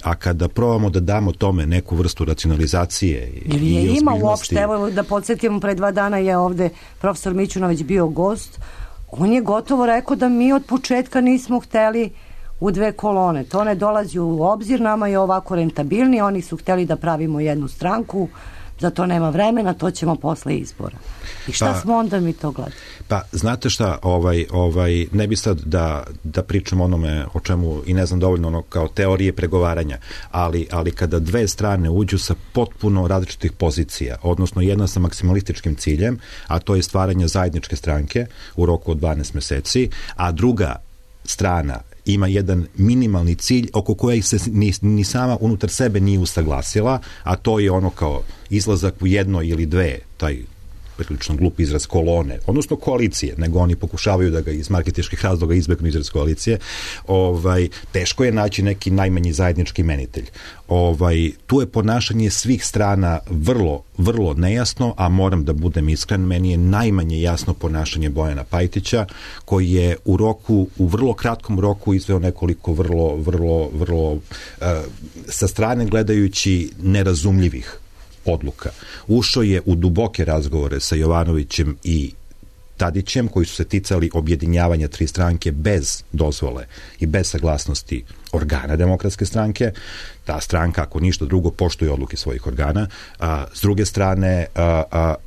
a kada probamo da damo tome neku vrstu racionalizacije i ozbiljnosti. Ima uopšte, evo da podsjetimo, pre 2 dana je ovde profesor Mićunović bio gost, on je gotovo rekao da mi od početka nismo hteli u 2 kolone, to ne dolazi u obzir, nama je ovako rentabilni, oni su hteli da pravimo jednu stranku, za to nema vremena, to ćemo posle izbora. I šta smo onda mi to gledali? Pa, znate šta, ne bi sad da pričam onome o čemu i ne znam dovoljno ono kao teorije pregovaranja, ali kada 2 strane uđu sa potpuno različitih pozicija, odnosno jedna sa maksimalističkim ciljem, a to je stvaranje zajedničke stranke u roku od 12 meseci, a druga strana ima jedan minimalni cilj oko kojeg se ni sama unutar sebe nije usaglasila, a to je ono kao izlazak u 1 ili 2, taj prilično glup izraz kolone, odnosno koalicije, nego oni pokušavaju da ga iz marketinških razloga izbegnu izraz koalicije, teško je naći neki najmanji zajednički imenitelj. Tu je ponašanje svih strana vrlo, vrlo nejasno, a moram da budem iskren, meni je najmanje jasno ponašanje Bojana Pajtića, koji je u vrlo kratkom roku izveo nekoliko vrlo sa strane gledajući nerazumljivih odluka. Ušao je u duboke razgovore sa Jovanovićem i Tadićem, koji su se ticali objedinjavanja 3 stranke bez dozvole i bez saglasnosti organa Demokratske stranke. Ta stranka, ako ništa drugo, poštuje odluke svojih organa. S druge strane,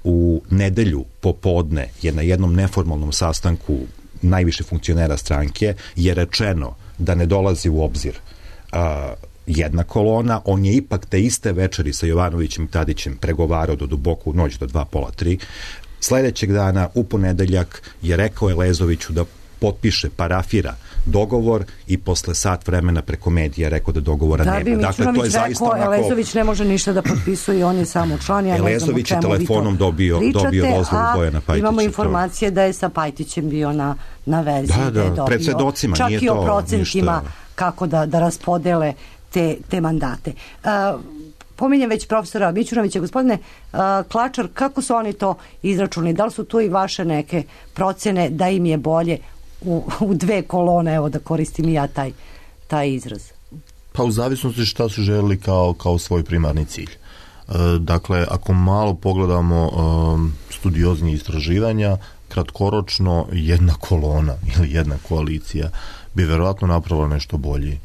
u nedelju popodne je na jednom neformalnom sastanku najviše funkcionera stranke je rečeno da ne dolazi u obzir jedna kolona. On je ipak te iste večeri sa Jovanovićem i Tadićem pregovarao do duboku noć, do 2, pola 3. Sledećeg dana, u ponedeljak, je rekao Elezoviću da potpiše, parafira dogovor i posle sat vremena preko medija rekao da dogovora nema. Dakle, to je zaista onako... Elezović ne može ništa da potpisuje i on je samo član. Ja Elezović je telefonom dobio dozvolu Bojana Pajtića. Imamo informacije da je sa Pajtićem bio na vezi. Da, pred svedocima. Čak i o procentima kako da raspodele te mandate. Pominjem već profesora Mićunovića. Gospodine Klačar, kako su oni to izračunali? Da li su tu i vaše neke procene da im je bolje u 2 kolone, evo da koristim i ja taj izraz? Pa u zavisnosti šta su želeli kao svoj primarni cilj. Dakle, ako malo pogledamo studioznije istraživanja, kratkoročno jedna kolona ili jedna koalicija bi verovatno napravila nešto bolji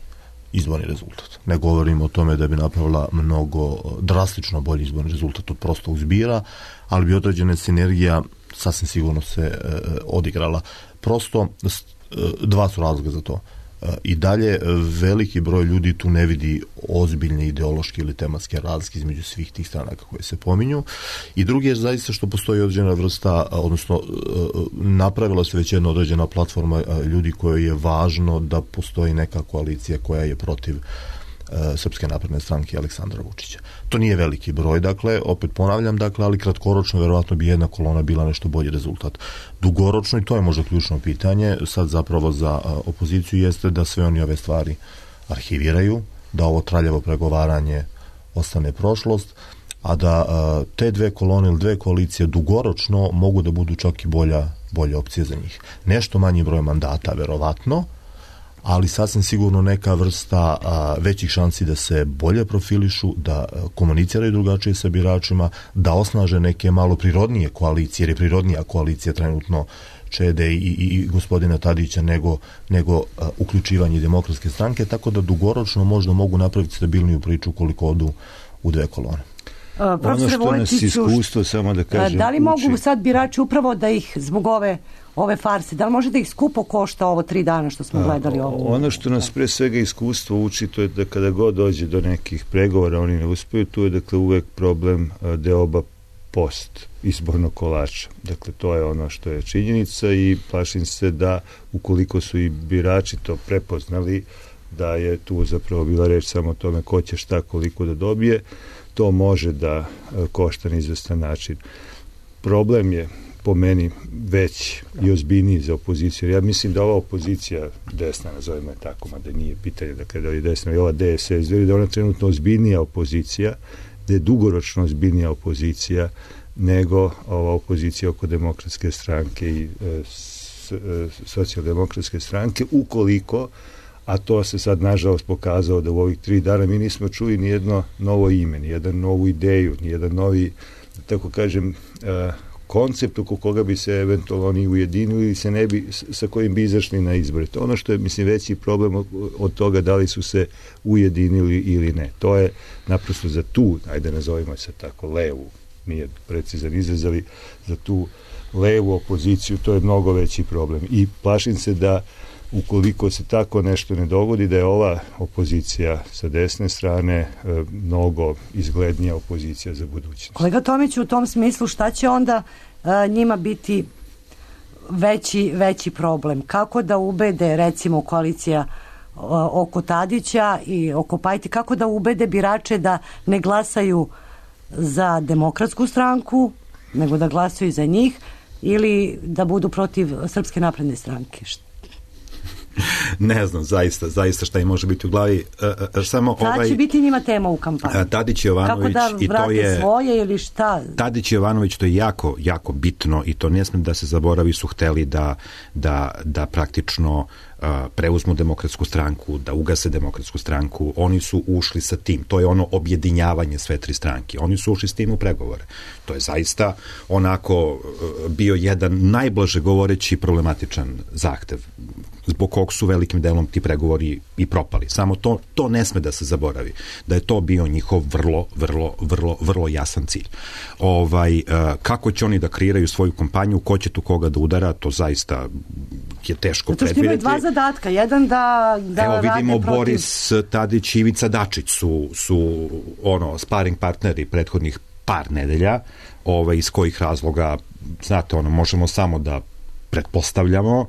izborni rezultat. Ne govorim o tome da bi napravila mnogo drastično bolji izborni rezultat od prostog zbira, ali bi određena sinergija sasvim sigurno se odigrala. Prosto 2 su razloga za to. I dalje veliki broj ljudi tu ne vidi ozbiljne ideološke ili tematske razlike između svih tih stranaka koje se pominju. I drugi je zaista što postoji određena vrsta, odnosno napravila se već jedna određena platforma ljudi kojoj je važno da postoji neka koalicija koja je protiv Srpske napredne stranke i Aleksandra Vučića. To nije veliki broj, dakle, opet ponavljam, ali kratkoročno verovatno bi jedna kolona bila nešto bolji rezultat. Dugoročno, i to je možda ključno pitanje, sad zapravo za opoziciju, jeste da sve oni ove stvari arhiviraju, da ovo traljavo pregovaranje ostane prošlost, a da te 2 kolone ili 2 koalicije dugoročno mogu da budu čak i bolja opcija za njih. Nešto manji broj mandata, verovatno, ali sasvim sigurno neka vrsta većih šansi da se bolje profilišu, da komuniciraju drugačije sa biračima, da osnaže neke malo prirodnije koalicije, jer je prirodnija koalicija trenutno Čede i gospodina Tadića nego uključivanje Demokratske stranke, tako da dugoročno možda mogu napraviti stabilniju priču koliko odu u 2 kolone. Ono što nas iskustvo, samo da kažem... Da li mogu sad birači upravo da ih zbog ove farse, da li može da ih skupo košta ovo 3 dana što smo gledali ovo? Ono što nas pre svega iskustvo uči, to je da kada god dođe do nekih pregovora, oni ne uspeju, tu je dakle uvek problem deoba post izbornog kolača. Dakle, to je ono što je činjenica i plašim se da ukoliko su i birači to prepoznali, da je tu zapravo bila reč samo o tome ko će šta koliko da dobije, to može da košta na izvestan način. Problem je po meni već i ozbiljniji za opoziciju. Ja mislim da ova opozicija desna, nazovimo je tako, mada nije pitanje da je desna i ova DSS, da je ona trenutno ozbiljnija opozicija, da je dugoročno ozbiljnija opozicija nego ova opozicija oko Demokratske stranke i socijaldemokratske stranke, ukoliko, a to se sad nažalost pokazao da u ovih 3 dana mi nismo čuli nijedno novo ime, nijedan novu ideju, nijedan novi, tako kažem, koncept oko koga bi se eventualno oni ujedinili ili se ne bi, sa kojim bi izašli na izbore. To ono što je, mislim, veći problem od toga da li su se ujedinili ili ne. To je naprosto za tu, ajde nazovimo se tako, levu, nije precizan izraz, ali za tu levu opoziciju to je mnogo veći problem. I plašim se da ukoliko se tako nešto ne dogodi, da je ova opozicija sa desne strane mnogo izglednija opozicija za budućnost. Kolega Tomić, u tom smislu šta će onda njima biti veći problem? Kako da ubede, recimo, koalicija oko Tadića i oko Pajti, kako da ubede birače da ne glasaju za Demokratsku stranku nego da glasaju za njih ili da budu protiv Srpske napredne stranke? Ne znam, zaista šta im može biti u glavi. Samo će biti njima tema u kampanji? Tadić i Jovanović, kako da vrate svoje ili šta? Tadić i Jovanović, to je jako, jako bitno i to ne smem da se zaboravi, su hteli da praktično preuzmu Demokratsku stranku, da ugase Demokratsku stranku. Oni su ušli sa tim. To je ono objedinjavanje sve tri stranke. Oni su ušli s tim u pregovore. To je zaista onako bio jedan najblaže govoreći problematičan zahtev, zbog kog su velikim delom ti pregovori i propali. Samo to ne sme da se zaboravi. Da je to bio njihov vrlo jasan cilj. Kako će oni da kreiraju svoju kampanju, ko će tu koga da udara, to zaista je teško predvidjeti. Zato što imaju dva zadatka. Jedan da evo vidimo protiv... Boris Tadić i Ivica Dačić su sparing partneri prethodnih par nedelja, iz kojih razloga, znate, možemo samo da pretpostavljamo.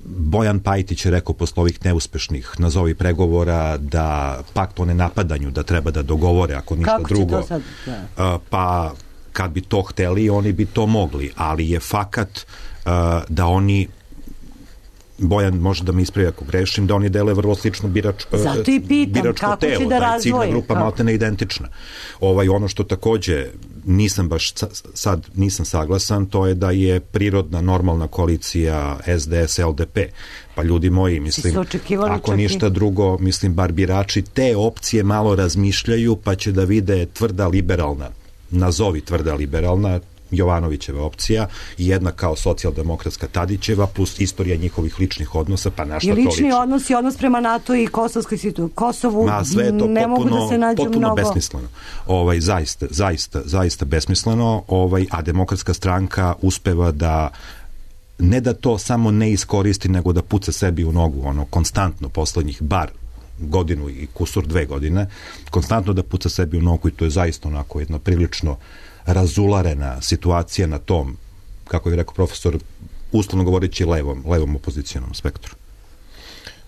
Bojan Pajtić je rekao posle ovih neuspešnih nazovi pregovora da pakt o nenapadanju da treba da dogovore ako ništa kako drugo. Sad, pa kad bi to hteli, oni bi to mogli, ali je fakat da oni, Bojan može da me ispravi ako grešim, da oni dele vrlo slično biračko telo, da je ciljna grupa maltene identična. Ono što takođe nisam saglasan, to je da je prirodna normalna koalicija SDS LDP. Pa ljudi moji, mislim, ako ništa drugo, mislim, bar birači te opcije malo razmišljaju, pa će da vide tvrda liberalna, nazovi tvrda liberalna, Jovanovićeva opcija i jedna kao socijaldemokratska Tadićeva plus istorija njihovih ličnih odnosa, pa na šta to liči? I lični odnos i odnos prema NATO i Kosovskoj situaciji. Kosovu sve je to ne mogu da se nađu potpuno mnogo. Besmisleno. Zaista besmisleno, a Demokratska stranka uspeva da ne da to samo ne iskoristi, nego da puca sebi u nogu, konstantno poslednjih bar godinu i kusur 2 godine, konstantno da puca sebi u nogu i to je zaista onako jedna prilično razularena situacija na tom, kako je rekao profesor, uslovno govoreći levom opozicijonom spektru.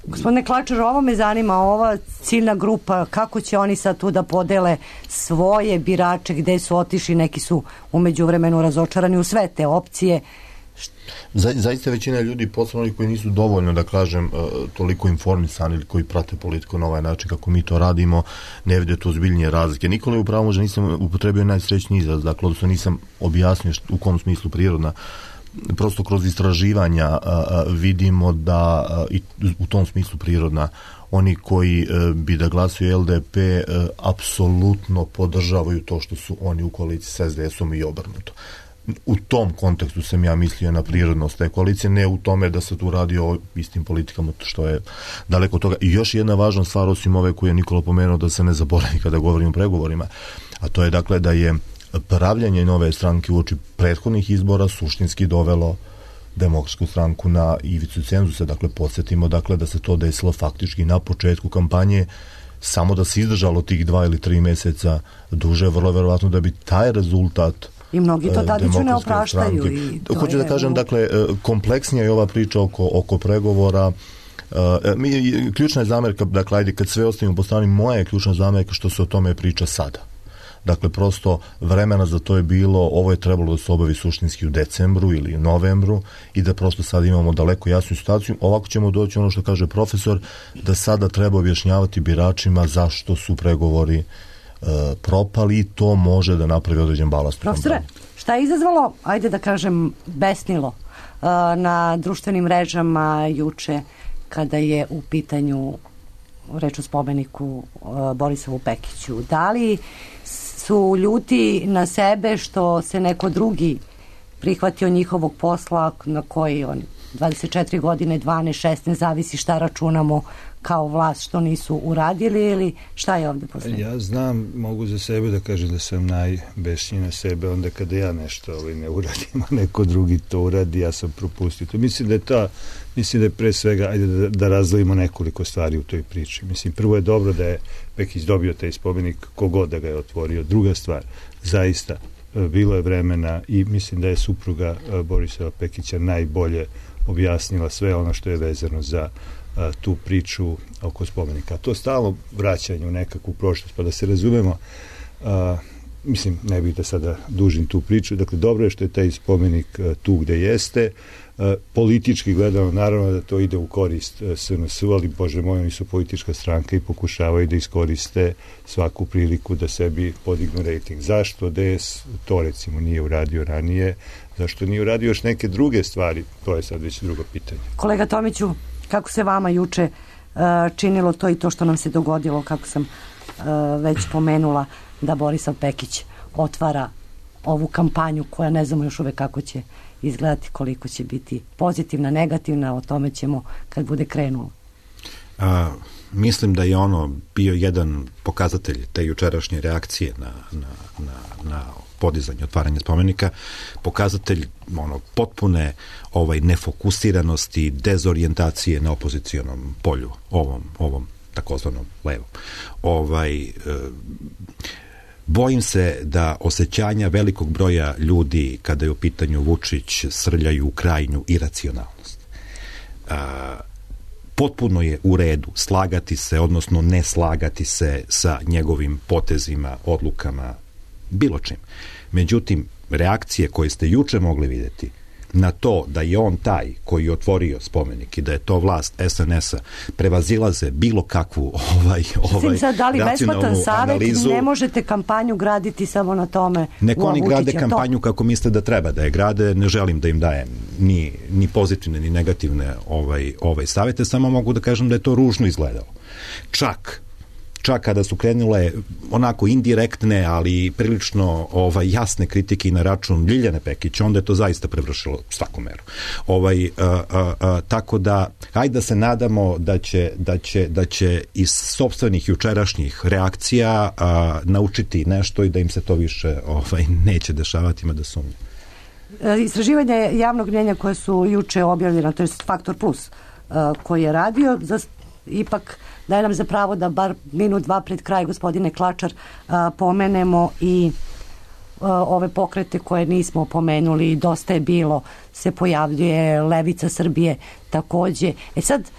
Gospodine Klačar, ovo me zanima, ova ciljna grupa, kako će oni sad tu da podele svoje birače, gde su otišli, neki su umeđu vremenu razočarani u sve te opcije. Zaista većina ljudi, posebno oni koji nisu dovoljno, da kažem, toliko informisani ili koji prate politiku na ovaj način kako mi to radimo, ne vide tu ozbiljnije razlike. Nikola je upravo možda nisam upotrebio najsrećniji izraz, dakle, odnosno nisam objasnio u kom smislu prirodna. Prosto kroz istraživanja vidimo da i u tom smislu prirodna oni koji bi da glasuju LDP apsolutno podržavaju to što su oni u koaliciji sa SDS-om i obrnuto. U tom kontekstu sam ja mislio na prirodnost te koalicije, ne u tome da se tu radi o istim politikama, što je daleko od toga. I još jedna važna stvar, osim ove koju je Nikola pomenuo, da se ne zaboravi kada govorim o pregovorima, a to je dakle da je pravljanje nove stranke uoči prethodnih izbora suštinski dovelo Demokratsku stranku na ivicu cenzusa. Dakle, podsjetimo da se to desilo faktički na početku kampanje, samo da se izdržalo tih 2 ili 3 meseca duže, vrlo verovatno da bi taj rezultat i mnogi to Tadiću ne opraštaju. Hoću da kažem, dakle, kompleksnija je ova priča oko pregovora. Ključna je zamerka, dakle, ajde, kad sve ostavimo po strani, moja je ključna zamerka što se o tome priča sada. Dakle, prosto vremena za to je bilo, ovo je trebalo da se obavi suštinski u decembru ili novembru i da prosto sad imamo daleko jasnu situaciju. Ovako ćemo doći ono što kaže profesor, da sada treba objašnjavati biračima zašto su pregovori propali i to može da napravi određen balast. Profesore, šta je izazvalo, ajde da kažem, besnilo na društvenim mrežama juče kada je u pitanju reč o spomeniku Borisavu Pekiću? Da li su ljuti na sebe što se neko drugi prihvatio njihovog posla na koji oni 24 godine, 12, 16, zavisi šta računamo kao vlast što nisu uradili ili šta je ovde poslednje? Ja znam, mogu za sebe da kažem da sam najbesniji na sebe onda kada ja nešto ne uradim, a neko drugi to uradi, ja sam propustio to. Mislim da je pre svega, ajde da razdvojimo nekoliko stvari u toj priči. Mislim, prvo je dobro da je Pekić dobio taj spomenik kogod da ga je otvorio. Druga stvar, zaista bilo je vremena i mislim da je supruga Borisova Pekića najbolje objasnila sve ono što je vezano za tu priču oko spomenika. To stalno vraćanje u nekakvu prošlost, pa da se razumemo, mislim, ne bih da sada dužim tu priču, dakle, dobro je što je taj spomenik tu gde jeste. Politički gledano, naravno da to ide u korist SNS, ali, bože moj, oni su politička stranka i pokušavaju da iskoriste svaku priliku da sebi podignu rejting. Zašto DS to, recimo, nije uradio ranije? Zašto nije uradio još neke druge stvari? To je sad već drugo pitanje. Kolega Tomiću, kako se vama juče činilo to i to što nam se dogodilo, kako sam već pomenula, da Borisav Pekić otvara ovu kampanju koja ne znamo još uvek kako će izgledati, koliko će biti pozitivna, negativna, o tome ćemo kad bude krenulo. Mislim da je ono bio jedan pokazatelj te jučerašnje reakcije na podizanje, otvaranje spomenika, pokazatelj potpune nefokusiranosti, dezorijentacije na opozicionom polju, ovom takozvanom levom. Bojim se da osjećanja velikog broja ljudi kada je u pitanju Vučić srljaju u krajnju iracionalnost. Potpuno je u redu slagati se, odnosno ne slagati se sa njegovim potezima, odlukama, bilo čim. Međutim, reakcije koje ste juče mogli vidjeti na to da je on taj koji je otvorio spomenik i da je to vlast SNS-a prevazilaze bilo kakvu da li besplatan savjet, analizu. Ne možete kampanju graditi samo na tome. Neko oni grade kampanju kako misle da treba da je grade, ne želim da im dajem ni pozitivne ni negativne savjete, samo mogu da kažem da je to ružno izgledalo. Čak kada su krenule onako indirektne, ali prilično jasne kritike i na račun Ljiljane Pekić, onda je to zaista prevršilo svaku meru. Tako da, hajde da se nadamo da će iz sopstvenih jučerašnjih reakcija naučiti nešto i da im se to više neće dešavati, ima da sumnje. Istraživanje javnog mnjenja koje su juče objavljena, to je Faktor Plus koji je radio, ipak daje nam za pravo da bar minut, dva pred kraj, gospodine Klačar, pomenemo i ove pokrete koje nismo pomenuli. Dosta je bilo, se pojavljuje Levica Srbije takođe. Sad,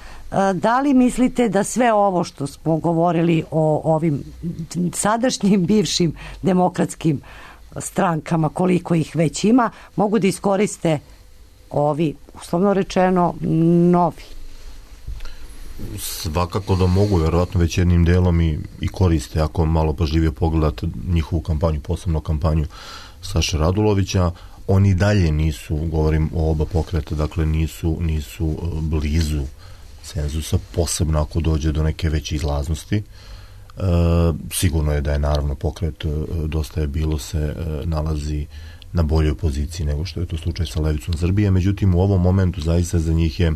da li mislite da sve ovo što smo govorili o ovim sadašnjim bivšim demokratskim strankama, koliko ih već ima, mogu da iskoriste ovi, uslovno rečeno, novi? Svakako da mogu, verovatno već jednim delom i koriste, ako malo pažljivije pogledate njihovu kampanju, posebno kampanju Saše Radulovića. Oni dalje nisu, govorim o oba pokreta, dakle nisu blizu cenzusa, posebno ako dođe do neke veće izlaznosti. Sigurno je da je naravno pokret Dosta je bilo se nalazi na boljoj poziciji nego što je to slučaj sa Levicom Srbije, međutim u ovom momentu zaista za njih je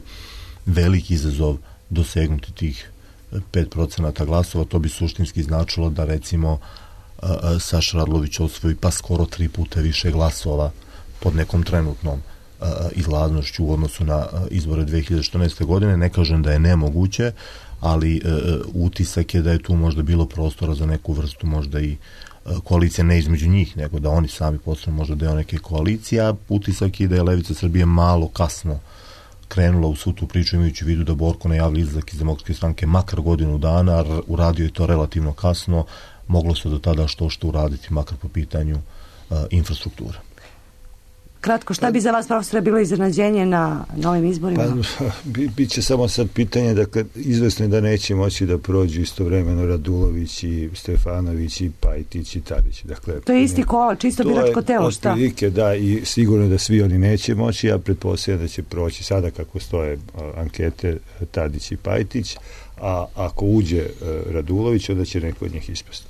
veliki izazov dosegnuti tih 5% glasova. To bi suštinski značilo da recimo Saša Radulović osvoji pa skoro 3 puta više glasova pod nekom trenutnom izlaznošću u odnosu na izbore 2014. godine. Ne kažem da je nemoguće, ali utisak je da je tu možda bilo prostora za neku vrstu možda i koalicija, ne između njih, nego da oni sami postanu možda deo neke koalicije, a utisak je da je Levica Srbije malo kasno krenula u svu tu priču, imajući u vidu da Borko najavlja izlazak iz Demokratske stranke makar godinu dana, uradio je to relativno kasno, moglo se do tada što uraditi makar po pitanju infrastrukture. Kratko, šta bi za vas, profesore, bilo iznenađenje na ovim izborima? Biće samo sad pitanje, dakle, izvesno je da neće moći da prođu istovremeno Radulović i Stefanović i Pajtić i Tadić. Dakle, to je isti kola, čisto biračko telo, šta? Otprilike, da, i sigurno da svi oni neće moći, ja pretpostavljam da će proći sada kako stoje ankete Tadić i Pajtić, a ako uđe Radulović, onda će neko od njih ispasti.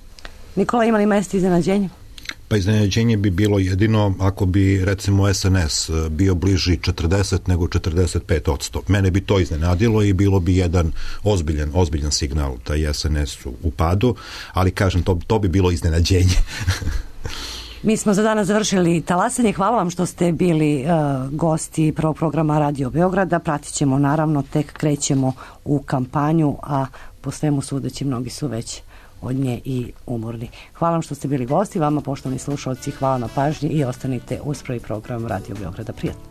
Nikola, ima li mesta iznenađenja? Pa iznenađenje bi bilo jedino ako bi recimo SNS bio bliži 40 nego 45%. Mene bi to iznenadilo i bilo bi jedan ozbiljan signal da je SNS u padu, ali kažem, to bi bilo iznenađenje. Mi smo za danas završili talasanje. Hvala vam što ste bili gosti prvog programa Radio Beograda. Pratit ćemo, naravno, tek krećemo u kampanju, a po svemu sudeći mnogi su već od nje i umorni. Hvala vam što ste bili gosti, vama poštovani slušalci, hvala na pažnji i ostanite uz prvi program Radio Beograda. Prijatno.